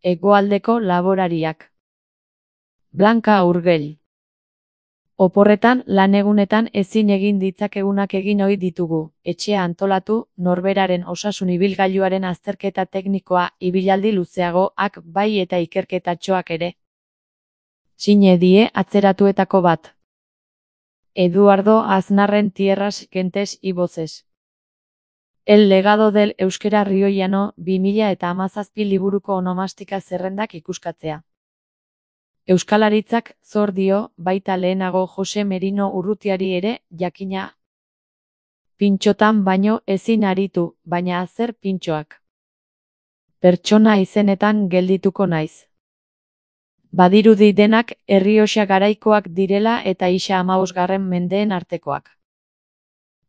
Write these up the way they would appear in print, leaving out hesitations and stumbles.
Hegoaldeko laborariak. Blanka Urgell. Oporretan, lanegunetan ezin egin ditzakegunak egin ohi ditugu, etxea antolatu, norberaren osasun ibilgailuaren azterketa teknikoa, ibilaldi luzeagoak bai eta ikerketatxoak ere. Sine die atzeratuetako bat. Eduardo Aznarren Tierras Gentes y Voces. El legado del euskera rioiano 2017 liburuko onomastika zerrendak ikuskatzea. Euskalaritzak zor dio, baita lehenago Jose Merino Urrutiari ere, jakina. Pintxotan baino ezin aritu, baina zer pintxoak. Pertsona izenetan geldituko naiz. Badirudi denak Errioxa garaikoak direla eta isa 15. mendeen artekoak.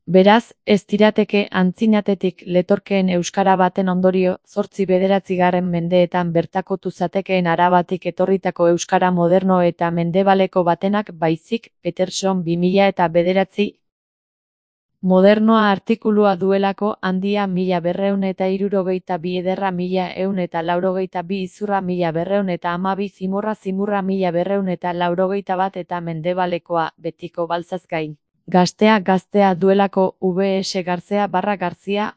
Beraz, ez dirateke antzinatetik letorkeen euskara baten ondorio, 8-9. mendeetan bertakotu zatekeen Arabatik etorritako euskara moderno eta mendebaleko batenak baizik, Peterson 2009. Modernoa artikulua duelako handia 1262 ederra 1182 izurra 1212 zimurra 1281 eta mendebalekoa betiko baltzaz gain. Gaztea duelako VS Garzea/Garzia.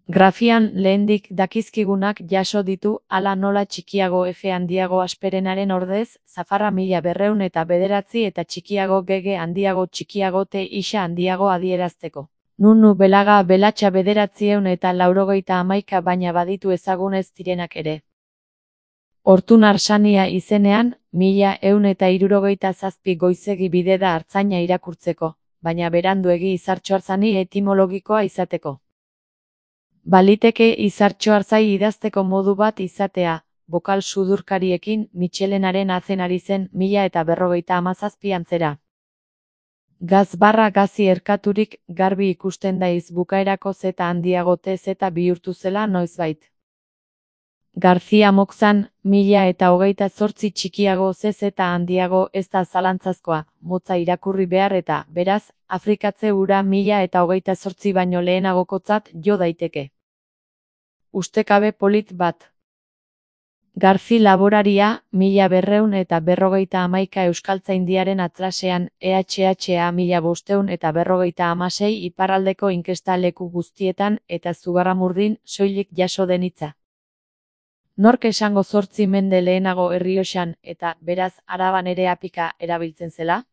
Grafian lehendik dakizkigunak jaso ditu, hala nola txikiago F handiago asperenaren ordez, zafarra 1209 eta txikiago GG handiago txikiago T isa handiago adierazteko. Nunu Belaga Belatxa 991 baina baditu ezagunez direnak ere. Hortun Arsania izenean, 1167 goizegi bide da artzaina irakurtzeko, baina beranduegi Izartxoarzani etimologikoa izateko. Baliteke Izartxoarzai idazteko modu bat izatea, bokal sudurkariekin Mitxelenaren azenari zen 1057 antzera. Gazi erkaturik garbi ikusten daiz bukaerako zeta handiago T zeta bihurtu zela noizbait. Garzia Moxan, 1028 txikiago Z zeta handiago ez da zalantzazkoa, motza irakurri behar eta, beraz, Afrikatze ura 1028 baino lehenagokotzat jo daiteke. Ustekabe polit bat. Garzi laboraria, 1251 Euskaltzaindiaren atlasean, EHHA 1556 iparraldeko inkesta leku guztietan eta Zugarramurdin soilik jaso den hitza. Nork esango 8 mende lehenago Errioxan eta, beraz, Araban ere apika erabiltzen zela?